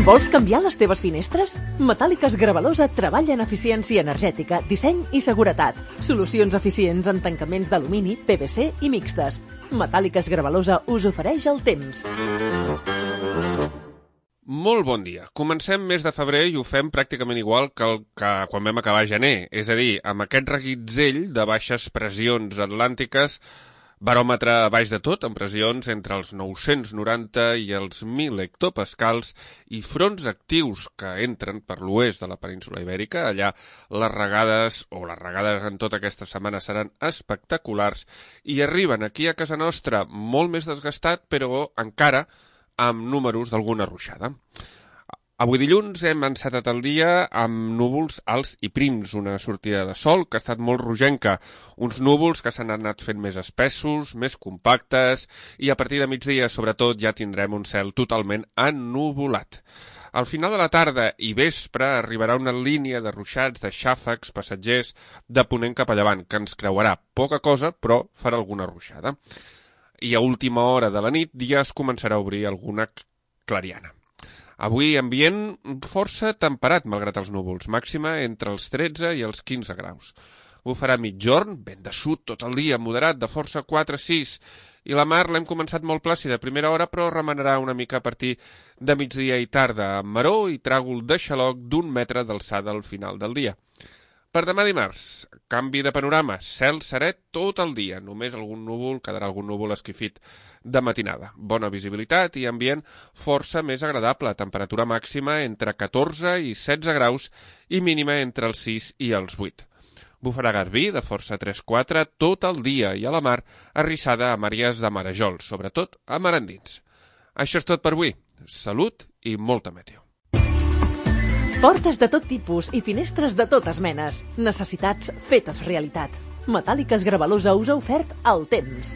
Vols canviar les teves finestres? Metàl·liques Gravalosa treballa en eficiència energètica, disseny i seguretat. Solucions eficients en tancaments d'alumini, PVC i mixtes. Metàl·liques Gravalosa us ofereix el temps. Molt bon dia. Comencem mes de febrer i ho fem pràcticament igual que quan vam acabar gener. És a dir, amb aquest reguitzell de baixes pressions atlàntiques, baròmetre a baix de tot, amb pressions entre els 990 i els 1.000 hectopascals i fronts actius que entren per l'oest de la península Ibèrica. Allà les regades en tota aquesta setmana seran espectaculars i arriben aquí a casa nostra molt més desgastat, però encara amb números d'alguna ruixada. Avui dilluns hem encetat el dia amb núvols alts i prims, una sortida de sol que ha estat molt rogenca, uns núvols que s'han anat fent més espessos, més compactes, i a partir de migdia, sobretot, ja tindrem un cel totalment ennuvolat. Al final de la tarda i vespre arribarà una línia de ruixats, de xàfecs, passatgers, de ponent cap a llevant, que ens creuarà poca cosa, però farà alguna ruixada. I a última hora de la nit ja es començarà a obrir alguna clariana. Avui ambient força temperat, malgrat els núvols, màxima entre els 13 i els 15 graus. Bufarà migjorn, vent de sud tot el dia, moderat, de força 4-6, i la mar l'hem començat molt plàcida a primera hora, però remenarà una mica a partir de migdia i tarda, amb maró i tràgol de xaloc d'1 metre d'alçada al final del dia. Per demà dimarts, canvi de panorama, cel serè tot el dia, només quedarà algun núvol esquifit de matinada. Bona visibilitat i ambient força més agradable, temperatura màxima entre 14 i 16 graus i mínima entre els 6 i els 8. Bufarà garbí de força 3-4 tot el dia i a la mar arrissada a àrees de marejol, sobretot a mar endins. Això és tot per avui. Salut i molta meteo. Portes de tot tipus i finestres de totes menes. Necessitats fetes realitat. Metàl·liques Gravalosa us ha ofert el temps.